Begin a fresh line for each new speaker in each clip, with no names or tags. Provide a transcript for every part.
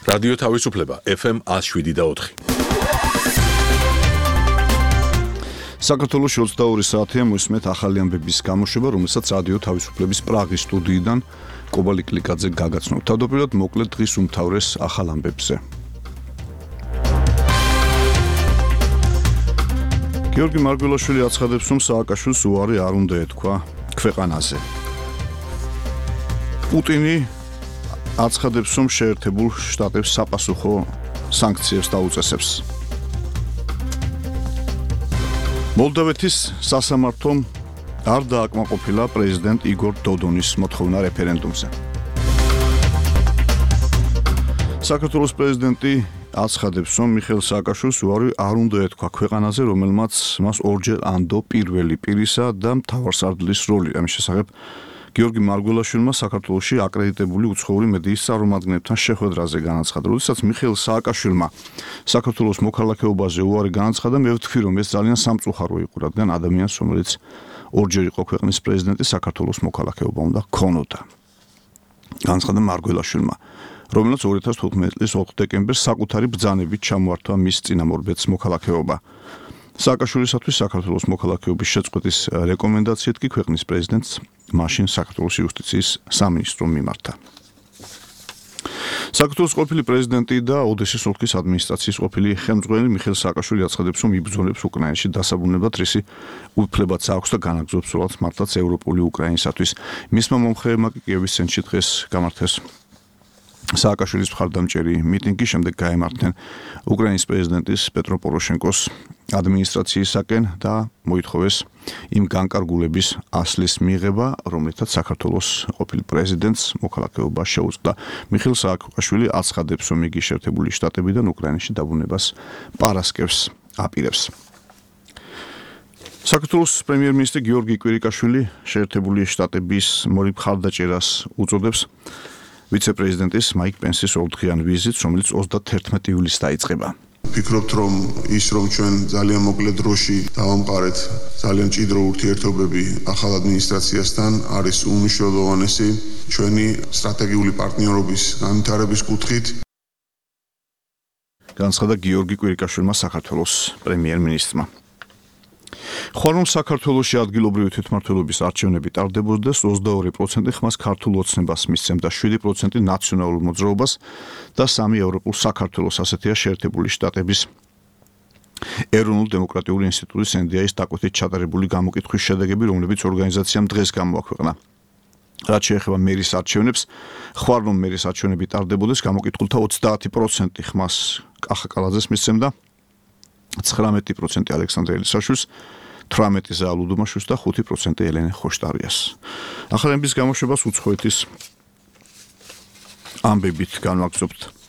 რადიო თავისუფლება FM 107.4.
საქართველოს 22 საათია მოსმეთ ახალი ამბების გამოშვება, რომელსაც რადიო თავისუფლების პრაღის სტუდიიდან კობალი კლიკაძე გაგაცნობ. თავდაპირველად მოკლედ დღის უმთავრეს ახალ ამბებზე. გიორგი მარგველაშვილი აცხადებს, რომ სააკაშვილს უარი არ უნდა ეთქვა ქვეყანაზე. პუტინი აცხადებს, რომ შეერთებულ შტატებს საპასუხო სანქციებს დაუწესებს. მოლდოვეთის სასამართლომ არ დააკმაყოფილა პრეზიდენტ იგორ დოდონის მოთხოვნა რეფერენდუმზე. საქართველოს პრეზიდენტი აცხადებს, რომ მიხეილ სააკაშვილს უარი არ უნდა ეთქვა ქვეყანაზე, რომელმაც მას ორჯერ ანდო პირველი პირისა და მთავარსარდლის როლი. ამის შესახებ გიორგი მარგველაშვილმა საქართველოში აკრედიტებული უცხოური მედიის წარმომადგენლებთან შეხვედრაზე განაცხადა. როდესაც მიხეილ სააკაშვილმა საქართველოს მოქალაქეობაზე უარი განაცხადა, მე ვთქვი, რომ ეს ძალიან სამწუხარო იყო, რადგან ადამიანს, რომელიც ორჯერ იყო ქვეყნის პრეზიდენტი, საქართველოს მოქალაქეობა უნდა ჰქონოდა. განაცხადა მარგველაშვილმა, რომელიც 2015 წლის 4 დეკემბერს საკუთარი ბრძანებით ჩამოართვა მის წინამორბედს მოქალაქეობა. სააკაშვილისათვის საქართველოს მოქალაქეობის შეწყვეტის რეკომენდაციით კი ქვეყნის პრეზიდენტს მაშინ საქართველოს იუსტიციის სამინისტრომ მიმართა. საქართველოს ყოფილი პრეზიდენტი და ოდესის ოლქის ადმინისტრაციის ყოფილი ხელმძღვანელი მიხეილ სააკაშვილი აცხადებს, რომ იბრძოლებს უკრაინაში დასაბრუნებლად რისი უფლებაც აქვს და განაგრძობს სულაც მართლაც ევროპული უკრაინისათვის. მისმა მომხრეებმა კი კიევის ცენტრში დღეს გამართეს სააკაშვილის მხარდამჭერი მიტინგი, შემდეგ გაემართნენ უკრაინის პრეზიდენტის პეტრო პოროშენკოს ადმინისტრაციისაკენ და მოითხოვეს იმ განკარგულების ასლის მიღება, რომლითაც საქართველოს ყოფილი პრეზიდენტს მოქალაქეობა შეუწყდა. მიხეილ სააკაშვილი აცხადებს, რომ იგი შეერთებული შტატებიდან უკრაინაში დაბრუნებას პარასკევს აპირებს. საქართველოს პრემიერ-მინისტრი გიორგი კვირიკაშვილი შეერთებული შტატების მხარდაჭერას უწოდებს ვიცე-პრეზიდენტის მაიკ პენსის ორდღიან ვიზიტს, რომელიც 31 ივლისს დაიწყება.
ვფიქრობთ, რომ ის, რომ ჩვენ ძალიან მოკლე დროში დავამყარეთ ძალიან მჭიდრო ურთიერთობები ახალ ადმინისტრაციასთან, არის უმნიშვნელოვანესი ჩვენი სტრატეგიული პარტნიორობის განვითარების კუთხით.
განაცხადა გიორგი კვირიკაშვილმა საქართველოს პრემიერ-მინისტრმა. ხვალ რომ საქართველოში ადგილობრივი თვითმმართველობის არჩევნები ტარდებოდა, 22% ხმას ქართულ ოცნებას მისცემდა, 7% ნაციონალურ მოძრაობას და 3 ევროპულ საქართველოს, ასეთია შეერთებული შტატების ეროვნული დემოკრატიული ინსტიტუტის NDI-ის დაკვეთით ჩატარებული გამოკითხვის შედეგები, რომლებიც ორგანიზაციამ დღეს გამოაქვეყნა. რაც შეეხება მერის არჩევნებს, ხვალ რომ მერის არჩევნები ტარდებოდეს, გამოკითხულთა 30% ხმას კახა კალაძეს მისცემდა, 19% ალექსანდრე ელისაშვილს, 18% ზაალ უდუმაშვილს და 5% ელენე ხოშტარიას. ახალების გამოშვებას უცხოეთის ამბებით განვაგრძობთ.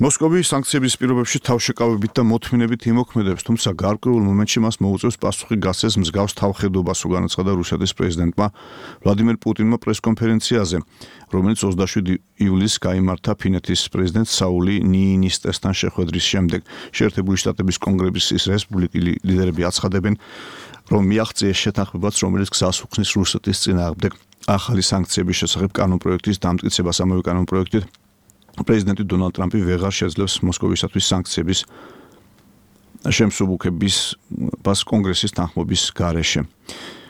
მოსკოვი სანქციების პირობებში თავშეკავებით და მოთმინებით იმოქმედებს, თუმცა გარკვეულ მომენტში მას მოუწევს პასუხი გასცეს მსგავს თავხედობას, განაცხადა რუსეთის პრეზიდენტმა ვლადიმერ პუტინმა პრესკონფერენციაზე, რომელიც 27 ივლისს გაიმართა ფინეთის პრეზიდენტ საული ნიინისტესთან შეხვედრის შემდეგ. შეერთებული შტატების კონგრესის რესპუბლიკური ლიდერები აცხადებენ, რომ მიაღწიეს შეთანხმებაც, რომელიც გზას უხსნის რუსეთის წინააღმდეგ ახალი სანქციების შესახებ კანონპროექტის დამტკიცებას. ამავე კანონპროექტით პრეზიდენტი დონალდ ტრამპი ვეღარ შეძლებს მოსკოვისათვის სანქციების შემსუბუქების კონგრესის თანხმობის გარეშე.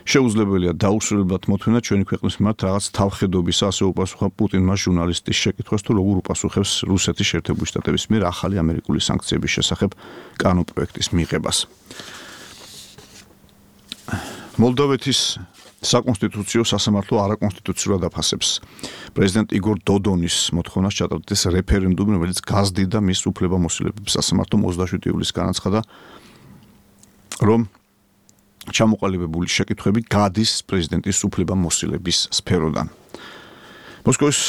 შეუძლებელია დაუსრულებლად მოთმინა ჩვენი ქვეყნის მიმართ რაღაც თავხედობის, ასე უპასუხა პუტინმა ჟურნალისტის შეკითხვას, თუ როგორ უპასუხებს რუსეთის შეერთებული შტატების მიერ ახალი ამერიკული სანქციების შესახებ კანონპროექტის მიღებას. მოლდოვეთის საკონსტიტუციო სასამართლო არაკონსტიტუციურად აფასებს პრეზიდენტ იგორ დოდონის მოთხოვნას ჩატარდეს რეფერენდუმი, რომელიც გაზრდიდა მის უფლებამოსილებებს. სასამართლომ 27 ივლისს განაცხადა, რომ ჩამოყალიბებული შეკითხვები გადის პრეზიდენტის უფლებამოსილების სფეროდან. მოსკოვის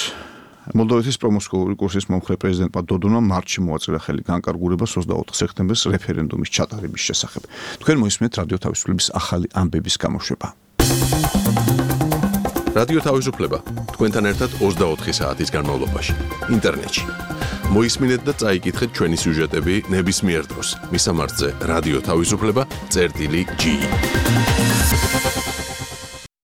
მოლდოვეთის პრომოსკოვური კურსის მომხრე პრეზიდენტმა დოდონმა მარტში მოაწერა ხელი განკარგულებას 24 სექტემბერს რეფერენდუმის ჩატარების შესახებ. თქვენ მოისმენთ რადიო თავისუფლების ახალი ამბების გამოშვება.
რადიო თავისუფლება თქვენთან ერთად 24 საათის განმავლობაში ინტერნეტში. მოისმინეთ და წაიკითხეთ ჩვენი სიუჟეტები ნებისმიერ დროს. მისამართზე რადიო თავისუფლება.gi